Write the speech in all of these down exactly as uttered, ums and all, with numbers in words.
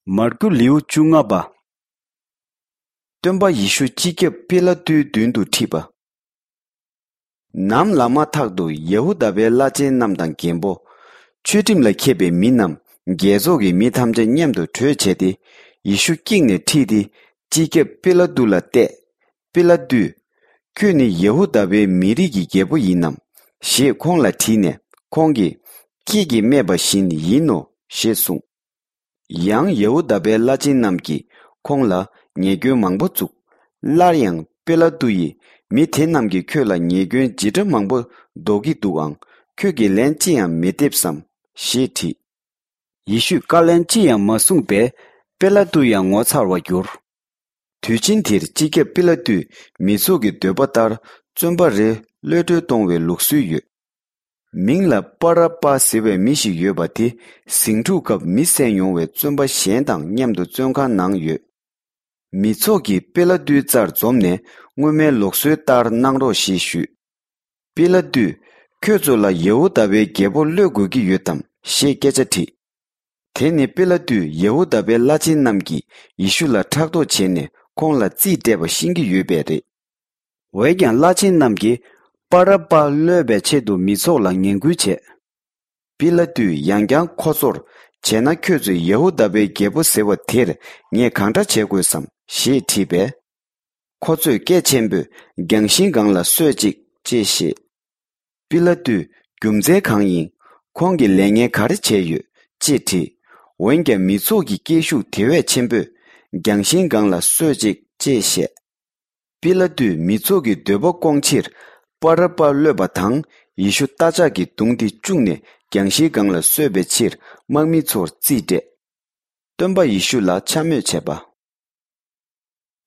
མར་ཀུ་ལེའུ་བཅོ་ལྔ་པ། སྟོན་པ་ཡེ་ཤུ་སྤྱི་ཁྱབ་པི་ལ་ཏུའི་མདུན་དུ་ཁྲིད་པ། ནམ་ལངས་མ་ཐག་ཏུ་ཡ་ཧུ་དཱ་པའི་བླ་ཆེན་རྣམས་དང་རྒན་པོ། ཆོས་ཁྲིམས་ལ་མཁས་པའི་མི་རྣམས་རྒྱལ་ཚོགས་ཀྱི་མི་ཐམས་ཅད་མཉམ་དུ་གྲོས་བྱས་ཏེ། ཡེ་ཤུ་བཀྱིགས་ནས་ཁྲིད་དེ། སྤྱི་ཁྱབ་པི་ལ་ཏུ་ལ་གཏད། པི་ལ་ཏུས། ཁྱོད་ནི་ཡ་ཧུ་དཱ་པའི་མི་རིགས་ཀྱི་རྒྱལ་པོ་ཡིན་ནམ། ཞེས་ཁོང་ལ་དྲིས་ནས། ཁོང་གིས། ཁྱེད་ཀྱིས་སྨྲས་པ་བཞིན་ཡིན་ནོ། ཞེས་གསུངས། ཡང་ཡ་ཧུ་དཱ་པའི་བླ་ཆེན་རྣམས་ཀྱིས་ཁོང་ལ་ཉེས་སྐྱོན་མང་པོ་བཙུགས། སླར་ཡང་པི་ལ་ཏུ་ཡིས། མི་དེ་རྣམས་ཀྱིས་ཁྱོད་ལ་ཉེས་སྐྱོན་ཇི་འདྲ་མང་པོ་འདོགས་ཀྱི་འདུག་ཨང་། ཁྱོད་ཀྱིས་ལན་ཅི་ཡང་མི་འདེབས་སམ། ཞེས་དྲིས། ཡེ་ཤུས་བཀའ་ལན་ཅི་ཡང་མ་གསུངས་པས། པི་ལ་ཏུ་ཡང་ངོ་མཚར་བར་གྱུར། དུས་ཆེན་དེར་སྤྱི་ཁྱབ་པི་ལ་ཏུས་མི་ཚོགས་ཀྱི་འདོད་པ་ལྟར། བཙོན་པ་རེ་གློད་གྲོལ་གཏོང་བའི་ལུགས་སྲོལ་ཡོད། མིང་ལ་པ་ར་པ་ཟེར་བའི་མི་ཞིག་ཡོད་པ་དེ། ཟིང་འཁྲུག་སྐབས་མི་བསད་མྱོང་བའི་བཙོན་པ་གཞན་དང་མཉམ་དུ་བཙོན་ཁང་ནང་ཡོད། མི་ཚོགས་ཀྱིས་པི་ལ་ཏུའི་རྩར་འཛོམས་ནས། སྔོན་མའི་ལུགས་སྲོལ་ལྟར་གནང་རོགས་ཞེས་ཞུས། པི་ལ་ཏུས། ཁྱོད་ཚོ་ལ་ཡ་ཧུ་དཱ་པའི་རྒྱལ་པོ་གློད་དགོས་ཀྱི་ཡོད་དམ། ཞེས་སྐད་ཆ་དྲིས། དེ་ནི་པི་ལ་ཏུས་ཡ་ཧུ་དཱ་པའི་བླ་ཆེན་རྣམས་ཀྱིས་ཡེ་ཤུ་ལ་ཕྲག་དོག་བྱས་ནས། ཁོང་ལ་རྩིས་སྤྲད་པ་ཤེས་ཀྱི་ཡོད་པས་རེད། འོན་ཀྱང་བླ་ཆེན་རྣམས་ཀྱིས། པ་ར་པ་གློད་པའི་ཆེད་དུ་མི་ཚོགས་ལ་ངན་སྐུལ་བྱས། པི་ལ་ཏུས་ཡང་བསྐྱར་ཁོ་ཚོར། བྱས་ན་ཁྱོད་ཚོས་ཡ་ཧུ་དཱ་པའི་རྒྱལ་པོ་ཟེར་བ་དེར་ངས་གང་འདྲ་བྱེད་དགོས་སམ། ཞེས་དྲིས་པས། ཁོ་ཚོས་སྐད་ཆེན་པོས། རྒྱང་ཤིང་སྒང་ལ་གསོད་ཅིག་ཅེས་བཤད། པི་ལ་ཏུས། རྒྱུ་མཚན་གང་ཡིན། ཁོང་གིས་ལས་ངན་ག་རེ་བྱས་ཡོད། ཅེས་དྲིས། འོན་ཀྱང་མི་ཚོགས་ཀྱི་སྐད་ཤུགས་དེ་བས་ཆེན་པོས། རྒྱང་ཤིང་སྒང་ལ་གསོད་ཅིག་ཅེས་བཤད། པི་ལ་ཏུས་མི་ཚོགས་ཀྱི་འདོད་པ་སྐོང་ཕྱིར། པ་ར་པ་གློད་པ་དང་། ཡེ་ཤུ་རྟ་ལྕག་གིས་བརྡུངས་ཏེ་བཅུག་ནས། རྒྱང་ཤིང་སྒང་ལ་གསོད་པའི་ཕྱིར། དམག་མི་ཚོར་རྩིས་སྤྲད། སྟོན་པ་ཡེ་ཤུ་ལ་འཕྱ་སྨོད་བྱས་པ།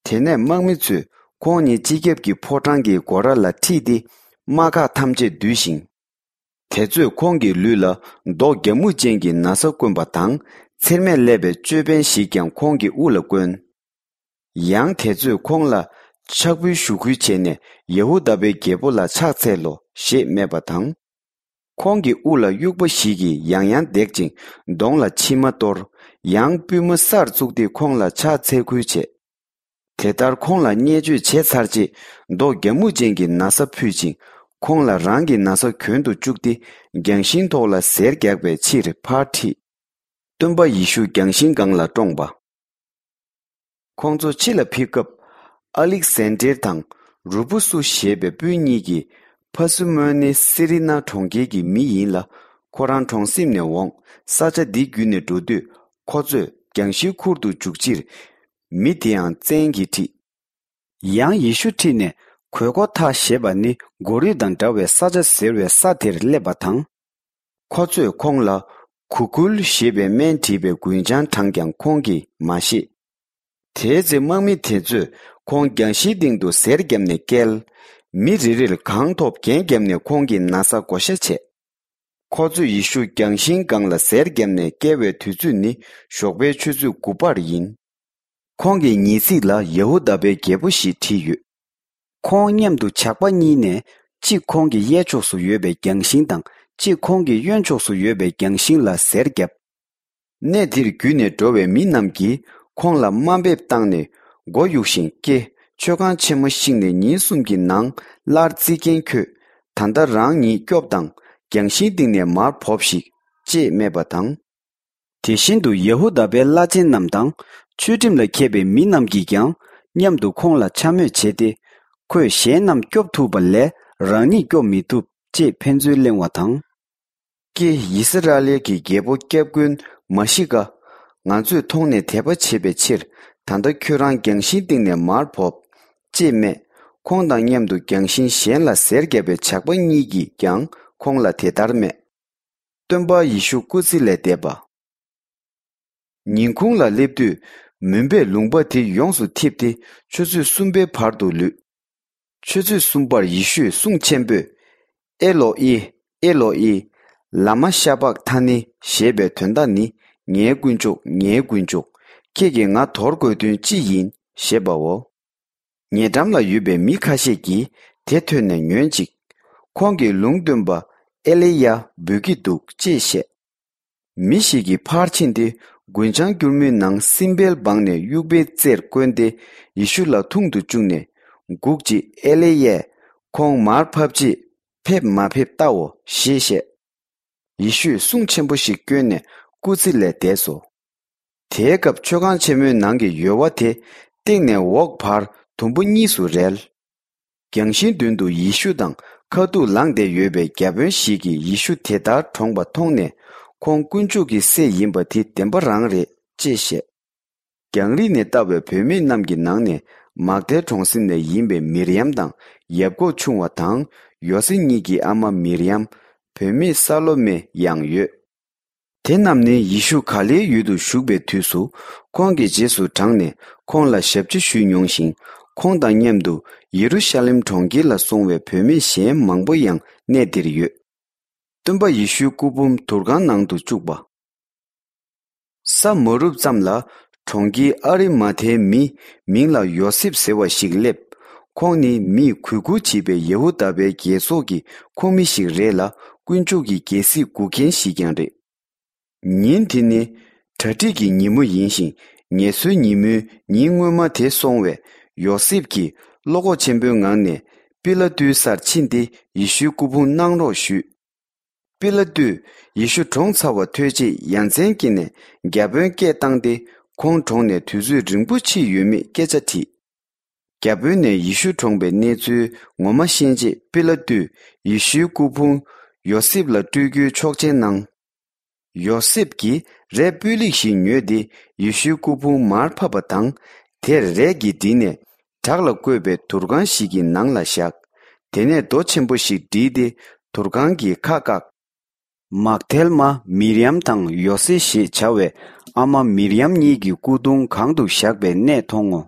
དེ་ནས་དམག་མི་ཚོས་ཁོང་ཉིད་སྤྱི་ཁྱབ་ཀྱི་ཕོ་བྲང་གི་སྒོ་ར་ལ་ཁྲིད་དེ། དམག་ཁག་ཐམས་ཅད་བསྡུས་ཤིང་། དེ་ཚོས་ཁོང་གི་ལུས་ལ་མདོག་རྒྱ་སྨུག་ཅན་གྱི་ན་བཟའ་བསྐོན་པ་དང་། ཚེར་མས་བསླས་པའི་ཅོད་པན་ཞིག་ཀྱང་ཁོང་གི་དབུ་ལ་བསྐོན། ཡང་དེ་ཚོས་ཁོང་ལ་ཕྱག་འབུལ་ཞུ་ཁུལ་བྱས་ནས། ཡ་ཧུ་དཱ་པའི་རྒྱལ་པོ་ལ་ཕྱག་འཚལ་ལོ། ཞེས་སྨྲས་པ་དང་། ཁོང་གི་དབུ་ལ་དབྱུག་པ་ཞིག་གིས་ཡང་ཡང་བརྡེག་ཅིང་། གདོང་ལ་མཆིལ་མ་གཏོར། ཡང་པུས་མོ་སར་བཙུགས་ཏེ་ཁོང་ལ་ཕྱག་འཚལ་ཁུལ་བྱས། དེ་ལྟར་ཁོང་ལ་བརྙས་བཅོས་བྱས་ཚར་རྗེས། མདོག་རྒྱ་སྨུག་ཅན་གྱི་ན་བཟའ་ཕུད་ཅིང་། ཁོང་ལ་རང་གི་ན་བཟའ་གྱོན་དུ་བཅུག་སྟེ། རྒྱང་ཤིང་ཐོག་ལ་གཟེར་རྒྱག་པའི་ཕྱིར་ཕར་ཁྲིད། སྟོན་པ་ཡེ་ཤུ་རྒྱང་ཤིང་སྒང་ལ་བཀྲོངས་པ། ཁོང་ཚོ་ཕྱི་ལ་ཕེབས་སྐབས། ཨ་ལིག་སན་ཌེར་དང་རུ་པུ་སུ་ཞེས་པའི་སྤུན་གཉིས་ཀྱིས། ཕ་སུ་མོན་ནི་སི་རི་ན་གྲོང་ཁྱེར་གྱི་མི་ཡིན་ལ། ཁོ་རང་གྲོང་གསེབ་ནས་འོངས། ས་ཆ་འདི་བརྒྱུད་ནས་འགྲོ་དུས། ཁོ་ཚོས་རྒྱང་ཤིང་ཁུར་དུ་འཇུག་ཕྱིར། མི་དེའང་བཙན་གྱིས་ཁྲིད། ཡང་ཡེ་ཤུ་ཁྲིད་ནས། གོས་གོ་ཐ་ཞེས་པ་ནི་མགོ་རུས་དང་འདྲ་བའི་ས་ཆ་ཟེར་བའི་ས་དེར་སླེབས་པ་དང་། ཁོ་ཚོས་ཁོང་ལ། གུ་གུལ་ཞེས་པའི་སྨན་བྲིས་པའི་རྒུན་ཆང་དྲངས་ཀྱང་ཁོང་གིས་མ་བཞེས། དེའི་ཚེ་དམག་མི་དེ་ཚོས་ཁོང་རྒྱང་ཤིང་སྟེང་དུ་གཟེར་བརྒྱབ་ནས་བཀལ། མི་རེ་རེར་གང་ཐོབ་རྒྱན་བརྒྱབ་ནས་ཁོང་གི་ན་བཟའ་བགོ་བཤའ་བྱས། ཁོ་ཚོས་ཡེ་ཤུ་རྒྱང་ཤིང་སྒང་ལ་གཟེར་བརྒྱབ་ནས་བཀལ་བའི་དུས་ཚོད་ནི་ཞོགས་པའི་ཆུ་ཚོད་དགུ་པར་ཡིན། ཁོང་གི་ཉེས་ཚིག་ལ་ཡ་ཧུ་དཱ་པའི་རྒྱལ་པོ་ཞེས་བྲིས་ཡོད། ཁོང་མཉམ་དུ་ཇག་པ་གཉིས་ནས། གཅིག་ཁོང་གི་གཡས་ཕྱོགས་སུ་ཡོད་པའི་རྒྱང་ཤིང་དང་། གཅིག་ཁོང་གི་གཡོན་ཕྱོགས་སུ་ཡོད་པའི་རྒྱང་ཤིང་ལ་གཟེར་བརྒྱབ། གནས་དེར་བརྒྱུད་ནས་འགྲོ་བའི་མི་རྣམས་ཀྱིས་ཁོང་ལ་དམའ་འབེབས་བཏང་ནས། མགོ་གཡུགས་ཤིང་། ཀྱེ། མཆོད་ཁང་ཆེན་མོ་བཤིག་ནས་ཉིན་གསུམ་གྱི་ནང་སླར་བརྩིག་མཁན་ཁྱོད། ད་ལྟ་རང་ཉིད་སྐྱོབས་དང་། རྒྱང་ཤིང་སྟེང་ནས་མར་བོབས་ཤིག་ཅེས་སྨྲས་པ་དང་། དེ་བཞིན་དུ་ཡ་ཧུ་དཱ་པའི་བླ་ཆེན་རྣམས་དང་། ཆོས་ཁྲིམས་ལ་མཁས་པའི་མི་རྣམས་ཀྱིས་ཀྱང་མཉམ་དུ་ཁོང་ལ་འཕྱ་སྨོད་བྱས་ཏེ། ཁོས་གཞན་རྣམས་སྐྱོབ་ཐུབ་པ་ལས་རང་ཉིད་སྐྱོབ་མི་ཐུབ་ཅེས་ཕན་ཚུན་གླེང་བ་དང་། ཀྱེ། ཡི་སི་ར་ཨེལ་གྱི་རྒྱལ་པོ་སྐྱབས་མགོན་མཱ་ཤི་ཀ། ང་ཚོས་མཐོང་ནས་དད་པ་བྱེད་པའི་ཕྱིར། ད་ལྟ་ཁྱོད་རང་རྒྱང་ཤིང་སྟེང་ནས་མར་བོབ། ཅེས་སྨྲས། ཁོང་དང་མཉམ་དུ་རྒྱང་ཤིང་གཞན་ལ་གཟེར་བརྒྱབ་པའི་ཇག་པ་གཉིས་ཀྱིས་ཀྱང་ཁོང་ལ་དེ་ལྟར་སྨྲས། སྟོན་པ་ཡེ་ཤུ་སྐུ་ཚེ་ལས་འདས་པ། ཉིན་གུང་ལ་སླེབས་དུས། མུན་པས་ལུང་པ་དེ་ཡོངས་སུ་འཐིབས་ཏེ། ཆུ་ཚོད་གསུམ་པའི་བར་དུ་ལུས། ཆུ་ཚོད་གསུམ་པར་ཡེ་ཤུས་གསུང་ཆེན་པོས། ཨེ་ལོ་ཨི། ཨེ་ལོ་ཨི། ལ་མ་ཤ་བག་ཐ་ནི། ཞེས་པའི་དོན་དག་ནི། ངའི་དཀོན་མཆོག་ངའི་དཀོན་མཆོག་ཁྱེད་ཀྱིས་ང་དོར་དགོས་དོན་ཅི་ཡིན། ཞེས་པའོ། ཉེ་འགྲམ་ལ་ཡོད་པའི་མི་ཁ་ཤས་ཀྱིས་དེ་ཐོས་ནས་ཉོན་ཅིག་ཁོང་གིས་ལུང་སྟོན་པ་ཨེ་ལི་ཡ་འབོད་ཀྱི་འདུག་ཅེས་བཤད། མི་ཞིག་གིས་ཕར་ཕྱིན་ཏེ། རྒུན་ཆང་སྐྱུར་མོའི་ནང་སྲིན་བལ་སྦངས་ནས་དབྱུག་པའི་རྩེར་བསྐོན་ཏེ། ཡེ་ཤུ་ལ་འཐུང་དུ་བཅུག་ནས། སྒུག་ཅིག་ཨེ་ལེ་ཡས། ཁོང་མར་ཕབ་ཅིག་ཕེབས་མ་ཕེབས་བལྟའོ་ཞེས་བཤད། ཡེ་ཤུས་གསུང་ཆེན་པོ་ཞིག་བསྐྱོན་ནས་སྐུ་ཚེ་ལས་འདས་སོ། དེའི་སྐབས་མཆོད་ཁང་ཆེན་མོའི་ནང་གི་ཡོལ་བ་དེ་སྟེང་ནས་འོག་བར་དུམ་བུ་གཉིས་སུ་རལ། རྒྱང་ཤིང་མདུན་དུ་ཡེ་ཤུ་དང་ཁ་ཐུག་ལངས་བསྡད་ཡོད་པའི་བརྒྱ་དཔོན་ཞིག་གིས་ཡེ་ཤུ་དེ་ལྟར་གྲོངས་པ་མཐོང་ནས། ཁོང་དཀོན་མཆོག་གི་སྲས་ཡིན་པ་དེ་བདེན་པ་རང་རེད་ཅེས་བཤད། རྒྱང་རིང་ནས་ལྟ་བའི་བུད་མེད་རྣམས་ཀྱི་ནང་ནས་མག་དལ་གྲོང་གསེབ་ནས་ཡིན་པའི་མིར་ཡམ་དང་ཡ་ཀོབ་ཆུང་བ་དང་ཡོ་སེ་གཉིས་ཀྱི་ཨ་མ་མིར་ཡམ། བུད་མེད་ས་ལོ་མེ་ཡང་ཡོད། དེ་རྣམས་ནི་ཡེ་ཤུ་ག་ལེའི་ཡུལ་དུ་བཞུགས་པའི་དུས་སུ་ཁོང་གི་རྗེས་སུ་འབྲངས་ནས་ཁོང་ལ་ཞབས་ཕྱི་ཞུས་མྱོང་ཞིང་། ཁོང་དང་མཉམ་དུ་ཡེ་རུ་ཤ་ལེམ་གྲོང་ཁྱེར་ལ་སོང་བའི་བུད་མེད་གཞན་མང་པོ་ཡང་གནས་འདིར་ཡོད། སྟོན་པ་ཡེ་ཤུའི་སྐུ་ཕུང་དུར་ཁང་ནང་དུ་བཅུག་པ། ས་མ་རུབ་ཙམ་ལ་གྲོང་ཁྱེར་ཨ་རི་མ་ཐའི་མི་མིང་ལ་ཡོ་སེབ་ཟེར་བ་ཞིག་སླེབས། ཁོང་ནི་མིས་གུས་བཀུར་བྱེད་པའི་ཡ་ཧུ་དཱ་པའི་རྒྱལ་ཚོགས་ཀྱི་ཁོངས་མི་ཞིག་རེད་ལ། དཀོན་མཆོག་གི་རྒྱལ་སྲིད་སྒུག་མཁན་ཞིག་ཀྱང་རེད། ཉིན་དེ་ནི་གྲ་སྒྲིག་གི་ཉིན་མོ་ཡིན་ཞིང་། ངལ་གསོའི་ཉིན་མོའི་ཉིན་སྔོན་མ་དེ་སོང་བས། ཡོ་སེབ་ཀྱིས་བློ་ཁོག་ཆེན་པོའི་ངང་ནས་པི་ལ་ཏུའི་སར་ཕྱིན་ཏེ་ཡེ་ཤུའི་སྐུ་ཕུང་གནང་རོགས་ཞུས། པི་ལ་ཏུས་ཡེ་ཤུ་གྲོངས་ཚར་བ་ཐོས་རྗེས་ཡ་མཚན་སྐྱེས་ནས་བརྒྱ་དཔོན་སྐད་བཏང་སྟེ། ཁོང་གྲོངས་ནས་དུས་ཚོད་རིང་པོ་ཕྱིན་ཡོད་མེད་སྐད་ཆ་དྲིས། བརྒྱ་དཔོན་ནས་ཡེ་ཤུ་གྲོངས་པའི་གནས་ཚུལ་ངོ་མ་ཤེས་རྗེས་པི་ལ་ཏུས་ཡེ་ཤུའི་སྐུ་ཕུང་ཡོ་སེབ་ལ་སྤྲོད་རྒྱུའི་ཆོག་མཆན་གནང་། ཡོ་སེབ་ཀྱིས་རས་སྤུས་ལེགས་ཤིག་ཉོས་ཏེ་ཡེ་ཤུའི་སྐུ་ཕུང་མར་ཕབ་པ་དང་། དེར་རས་ཀྱིས་བྲིས་ནས་བྲག་ལ་བརྐོས་པའི་དུར་ཁང་ཞིག་གི་ནང་ལ་བཞག། དེ་ནས་རྡོ་ཆེན་པོ་ཞིག་བསྒྲིལ་ཏེ་དུར་ཁང་གི་ཁ་བཀག། མག་དལ་མ་མིར་ཡམ་དང་ཡོ་སེ་ཞེས་བྱ་བའི་ཨ་མ་མིར་ཡམ་གཉིས་ཀྱི་སྐུ་གདུང་གང་དུ་བཞག་པའི་གནས་མཐོང་ངོ་